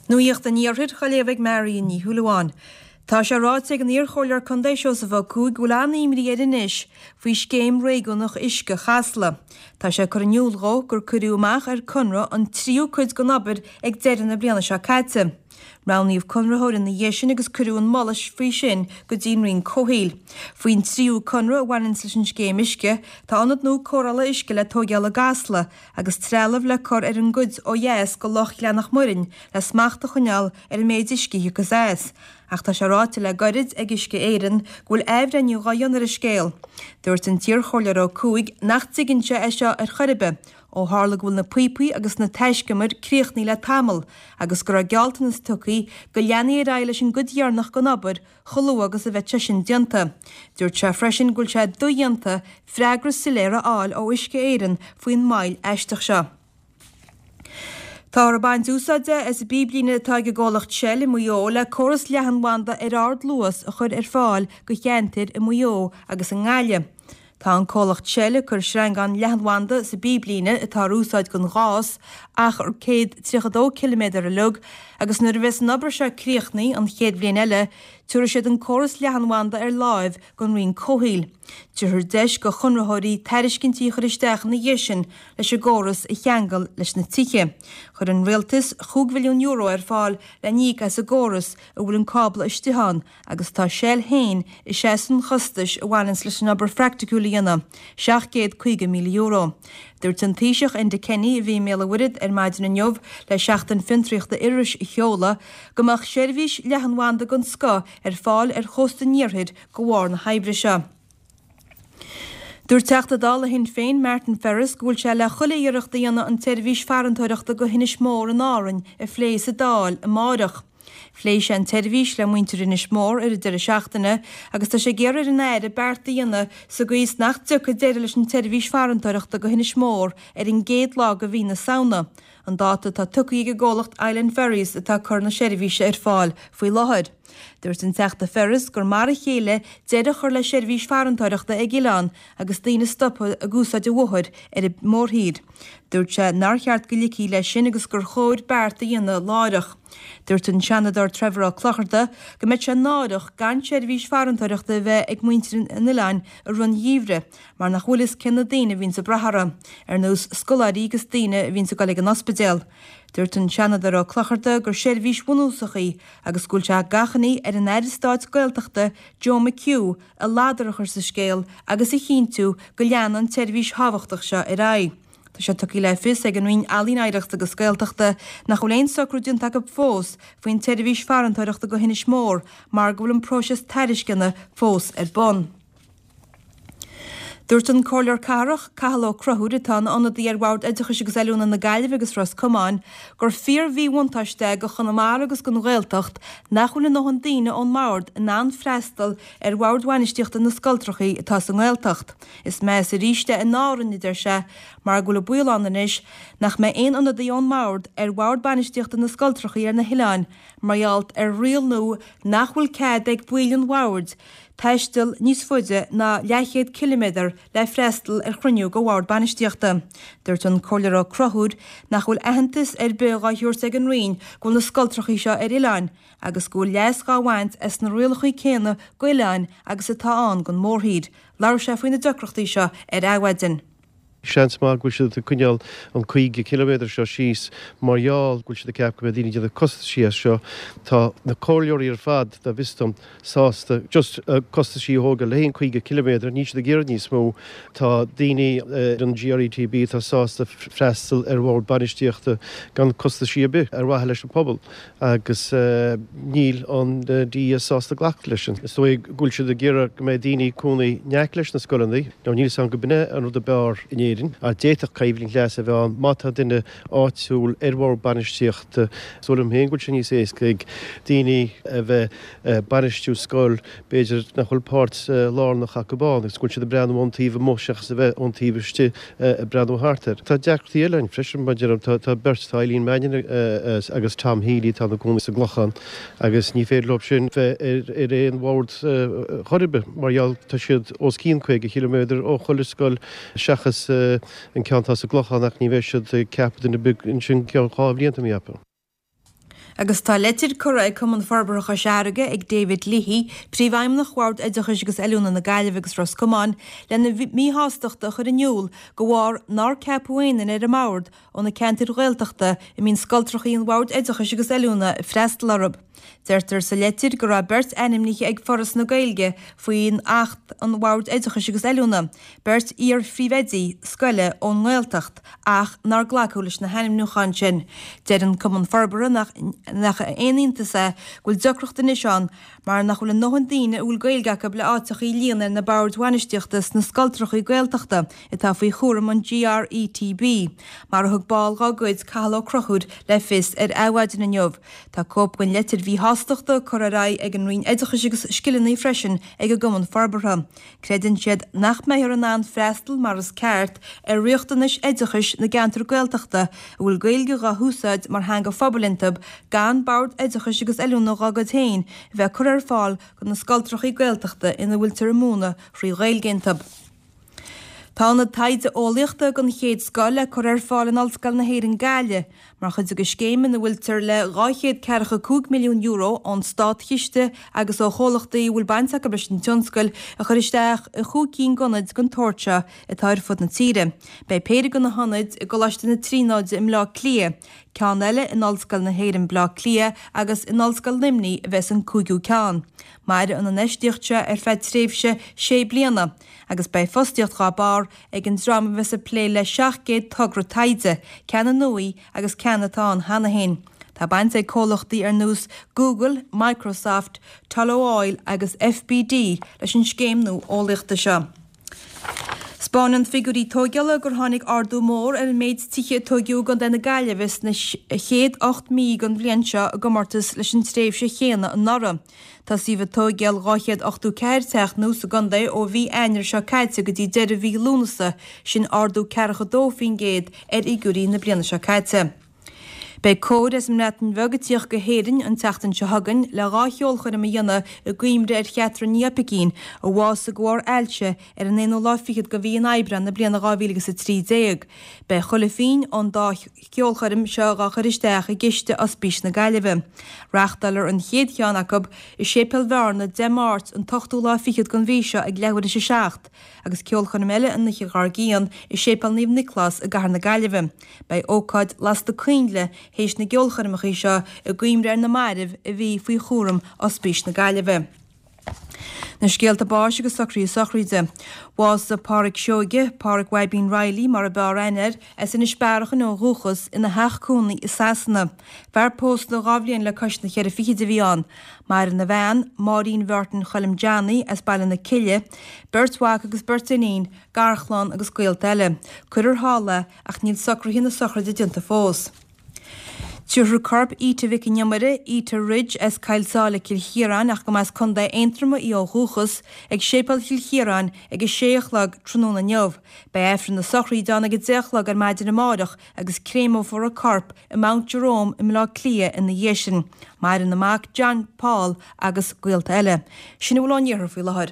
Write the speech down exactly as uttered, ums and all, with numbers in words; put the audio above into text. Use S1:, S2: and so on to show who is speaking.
S1: Nuacht an Iarthair á léamh ag Marion Ní Shúilleabháin. Tá sé ráite ag an iarchomhairleoir contae Seosamh Ó Cuaig go bhfuil an-imní air anois faoi scéim réigiúnach uisce Chasla. Tá sé ag cur in iúl dhó gur cuireadh amach ar conradh an tríú cuid den obair ag deireadh na bliana seo caite. Roghnaíodh conraitheoir ina dhiaidh sin agus cuireadh an moladh faoi sin go dtí an Roinn Comhshaoil. Faoin tríú conradh a bhaineann leis an scéim uisce, tá ionad nua cóireála uisce le tóigeáil i gCasla agus trealamh le cur ar an gcuid ó dheas de Loch Ghleannach Muirinn le smacht a choinneáil ar an méid uisce a thiocfas as. Ach tá sé ráite le gairid ag Uisce Éireann go bhfuil athbhreithniú dhá dhéanamh ar an scéal. Dúirt an t-iarchomhairleoir Ó Cuaig nach dtuigeann sé é seo ar chor ar bith, ó tharla go bhfuil na píopaí agus na taiscumair críochnaithe le tamall agus go raibh gealltanas tugtha go leanfaí ar aghaidh leis an gcuid dheireanach den obair chomh luath agus a bheadh sé sin déanta. Dúirt sé freisin go bhfuil sé dodhéanta freagra soiléir a fháil ó Uisce Éireann faoin moill aisteach seo. Táthar ag baint úsáide as an bpíblíne atá ag an gcomhlacht Shell i Maigh Eo le córas leathanbhanda ar ardluas a chur ar fáil do cheantair i Maigh Eo agus i nGaillimh. Tá an comhlacht Shell ag cur sreangán leathanbhanda sa bpíblíne atá ar úsáid don ghás, achar céad tríocha dó ciliméadar uilig, agus nuair a bheas an obair seo críochnaithe an chéad bhliain eile, tabharfaidh siad an córas leathanbhanda ar láimh don Roinn Comhshaoil. Tabharfar deis do chonraitheoirí tairiscintí a chur isteach ina dhiaidh sin leis an gcóras a cheangal leis na tithe. Chuir an Rialtas chúig mhilliún euro ar fáil le n-íoc as an gcóras a bhfuil an cábla istigh ann agus tá Shell féin ag seasamh an chostais a bhaineanns leis an obair phraiticiúil a dhéanamh, seacht gcéad caoga míle euro. Dúirt an Taoiseach Enda Kenny, a bhí i mBéal an Mhuirthead ar maidin inniu le Seachtain Fiontraíochta Iorrais a sheoladh, go mbeadh seirbhís leathanbhanda den scoth ar fáil ar chósta an iarthair de bharr na hoibre seo. Dúirt Teachta Dála Shinn Féin Martin Ferris go bhfuil sé le chuile iarracht a dhéanamh an tseirbhís farantóireachta go hInis Mór in Árainn a phlé sa Dáil amáireach. Phléigh sé an tseirbhís le muintir Inis Mór ar an deireadh seachtaine agus tá sé ag iarraidh ar an Aire beart a dhéanamh sa gcaoi is nach dtiocfaidh deireadh leis an tseirbhís farantóireachta go hInis Mór ar an gcéad lá de mhí na Samhna, an dáta atá tugtha ag an gcomhlacht Island Ferries atá ag cur na seirbhíse ar fáil faoi láthair. Dúirt an Teachta Ferris gur mar a chéile deireadh a chur le seirbhís farantóireachta ag oileán agus daoine stoptha ag úsáid an bhóthair ar an mórthír. Dúirt sé nár cheart go ligfí leis sin agus gur chóir beart a dhéanamh láithreach. Dúirt an Seanadóir Trevor Ó Clochartaigh go mbeadh sé náireach gan seirbhís farantóireachta a bheith ag muintir an oileáin i rith an gheimhridh mar nach bhfuil fhios cé na daoine a bhíonns ag brath orthu, ar nós scoláirí agus daoine a bhíonns ag dul ag an ospidéal. Dúirt an Seanadóir Ó Clochartaigh gur seirbhís bhunúsach í agus go bhfuil sé d'achainí ar an Aire Stáit Gaeltachta Joe McHugh a ladar a chur sa scéal agus a chinntiú go leanann an tseirbhís thábhachtach seo ar aghaidh. Tá sé tugtha le fios ag an Roinn Ealaíon, Oidhreachta agus Gaeltachta nach bhfuil aon socrú déanta acu fós faoin tseirbhís farantóireachta go hInis Mór mar go bhfuil an próiseas tairisceana fós ar bun. Dúirt an Comhairleoir Cathrach, Cathal Ó Conchúir, atá ina ionadaí ar Bhord Oideachais agus Oiliúna na Gaillimhe agus Ros Comáin, gur fíor-mhíbhuntáiste é do Chonamara agus don Ghaeltacht nach bhfuil a ndóthain daoine ón mbord in ann freastal ar bhoird bhainistíochta na scoltrachaí atá sa nGaeltacht. Is measa arís é in Árainn, a deir sé, mar go bhfuil an baol ann anois nach mbeidh aon ionadaí ón mbord ar bhord bainistíochta na scoltrachaí ar na hoileáin mar gheall ar riail nua nach bhfuil cead ag baill an bhoird taisteal níos faide ná leathchéad ciliméadar le freastal ar chruinniú de bhord bainistíochta. Dúirt an Comhairleoir Ó Conchúir nach bhfuil aitheantas ar bith dhá thabhairt ag an Roinn go bhfuil na scoltrachaí seo ar oileáin agus go bhfuil leas dhá bhaint as na rialacha céanna d'oileáin agus atá ann don mórthír. Labhair sé faoi na deacrachtaí seo ar Adhmhaidin.
S2: Seans maith go bhfuil siad ag coinneáil an caoga ciliméadar seo síos mar gheall go bhfuil siad ag ceapadh go mbeidh daoine ag déanamh costaisí as seo. Tá na comhairleoirí ar fad, dá bhfios dom, sásta just costaisí a thógáil le haghaidh an caoga ciliméadar, níl siad ag iarraidh níos mó. Tá daoine ar an GRETB atá sásta freastal ar bhord bainistíochta gan costaisí ar bith ar mhaithe leis an pobal agus níl an DES sásta glacadh leis sin. Is dóigh go bhfuil siad ag iarraidh go mbeidh daoine ag cónaí in aice leis na scoileanna. Now níl 'fhios a'm go b'in é an rud ab fhearr in Éirinn, ach d'fhéadfadh coimhlint leasa a bheith ann má tá duine áitiúil ar bhord bainistíochta. Is dóigh liom féin go bhfuil sé níos éasca ag daoine a bheith ag bainistiú scoil, b'fhéidir nach bhfuil páirt lárnach acu ann agus go bhfuil siad ag breathnú ón taobh amuigh seachas a bheith ón taobh istigh ag breathnú thart air. Tá deacrachtaí eile ann freisin, mar deirim, tá beirt, tá Eileen Mannion agus Tom Healy atá ina gcónaí sa gClochán agus ní féidir leo sin bheith ar aon bhord chor ar bith mar gheall tá siad os cionn caoga chiliméadar ó chuile scoil seachas an ceann atá sa gClochán ach ní bheidh siad ag ceapadh duine ar bith ansin go ceann dhá bhliain tá mé a cheapadh.
S1: Agus tá leitir curtha ag Cumann Forbartha Chois Fharraige ag David Leahy, Príomhfheidhmeannach Bhord Oideachais agus Oiliúna na Gaillimhe agus Ros Comáin, lena míshástacht a chur in iúl de bharr nár ceapadh aon duine ar an mbord ó na ceantair Ghaeltachta a mbíonn scoltrachaí an Bhoird Oideachais agus Oiliúna ag freastal orthu. Deirtear sa leitir go raibh beirt ainmnithe ag Foras na Gaeilge faoin Acht an Bhoird Oideachais agus Oiliúna, beirt iar-phríomhoidí scoile ón nGaeltacht, ach nár glacadh leis na hainmniúcháin sin. Deir an Cumann Forbartha nach nach aon iontas é go bhfuil deacracht anois ann mar nach bhfuil a ndóthain daoine a bhfuil Gaeilge acu le áiteachaí a líonadh ar na boird bhainistíochta sna scoltrachaí Gaeltachta atá faoi chúram an GRETB, mar a thug ball dá gcuid, Cathal Ó Conchúir, le fios ar Adhmhaidin inniu. Tá cóip den leitir mhíshástachta curtha ar aghaidh ag an Roinn Oideachais agus Scileanna freisin ag an gCumann Forbartha. Creideann siad nach mbeifear in ann freastal mar is ceart ar riachtanais oideachais na gceantar Gaeltachta a bhfuil Gaeilge dhá húsáid mar theanga phobail iontu gan Bord Oideachais agus Oiliúna dhá gcuid féin a bheith curtha ar fáil do na scoltrachaí Gaeltachta ina bhfuiltear ag múineadh thrí Ghaeilge iontu. Tá ionad taighde eolaíochta den chéad scoth le cur ar fáil in Ollscoil na hÉireann Gaillimh mar chuid de scéim ina bhfuiltear le dhá chéad ceathracha cúig milliún euro ón státchiste agus ó chomhlachtaí a bhfuil baint acu leis an tionscal a chur isteach i chúig cinn d'ionaid den tsórt seo atá ar fud na tíre. Beidh péire de na hionaid i gColáiste na Tríonóide i mBleá Cliath, ceann eile in Ollscoil na hÉireann Bleá Cliath agus in Ollscoil Luimnigh a bheas an cúigiú ceann. Mairfidh an infheistíocht seo ar feadh tréimhse sé bliana agus beidh fostaíocht dhá barr ag an dream a bheas ag plé le seacht gcéad togra taighde, ceanna nua agus ceanna atá ann cheana féin. Tá baint ag comhlachtaí ar nós Google, Microsoft, Tullow Oil agus FBD leis an scéim nua eolaíochta seo. 'Spáineann figiúirí tóigeála gur tháinig ardú mór ar an méid tithe a tóigeadh i gContae na Gaillimhe sna chéad ocht mí den bhliain seo i gcomórtas leis an tréimhse chéanna anuraidh. Tosaíodh ag tóigeáil dhá chéad ochtó ceathair teach nua sa gcontae ó mhí Eanáir seo caite go dtí deireadh mhí Lúnasa, sin ardú ceathracha dó faoin gcéad ar fhigiúirí na bliana seo caite. Beidh cór as an mBreatain Bheag ag tíocht go hÉirinn an tseachtain seo chugainn le dhá cheolchoirm a dhéanamh i gcuimhne ar Chatherine Ní Oipeigín, a bhásaigh de bharr ailse ar an aonú lá fichead de mhí an Aibreáin na bliana dhá mhíle agus a trí déag. Beidh chuile phingin ón dá cheolchoirm seo dhá chur isteach i gciste Ospís na Gaillimhe. Reáchtálfar an chéad cheann acu i Séipéal Bhearna Dé Máirt an t-ochtú lá fichead den mhí seo ag leathuair théis a seacht, agus ceolchoirm eile an oíche dhár gcionn i Séipéal Naomh Nioclás i gCathair na Gaillimhe. Beidh ócáid lasta coinnle théis na gceolchoirmeacha seo i gcuimhne ar na mairbh a bhí faoi chúram Ospís na Gaillimhe. Na scéalta báis agus socruithe sochraide. Bhásaigh Páraic Seoige, Páraic Bhaibín Reilly mar a b'fhearr aithne air, as Inis Bearachain ó dhúchas, ina theach cónaí i Sasana. Fear pósta dhá bhliain le cois na cheithre fichid a bhí ann. Maireann a bhean, Máirín Mhártain Choilm Johnny, as Baile na Cille, beirt mhac agus beirt iníon, garchlann agus gaolta eile. Cuirfear thall é ach níl socruithe na sochraide déanta fós. Tabharfar corp Ita Mhic an Iomaire, Ita Ridge, as Coill Sáile, Cill Chiaráin, ach go mba as Contae Aontroma í ó dhúchas, ag Séipéal Chill Chiaráin ag a sé a chlog tráthnóna inniu. Beidh Aifreann na sochraide ann ag a deich a chlog ar maidin amárach agus créamófar a corp i Mount Jerome i mBleá Cliath ina dhiaidh sin. Maireann a mac John Paul agus gaolta eile. Sin a bhfuil ón iarthar faoi láthair.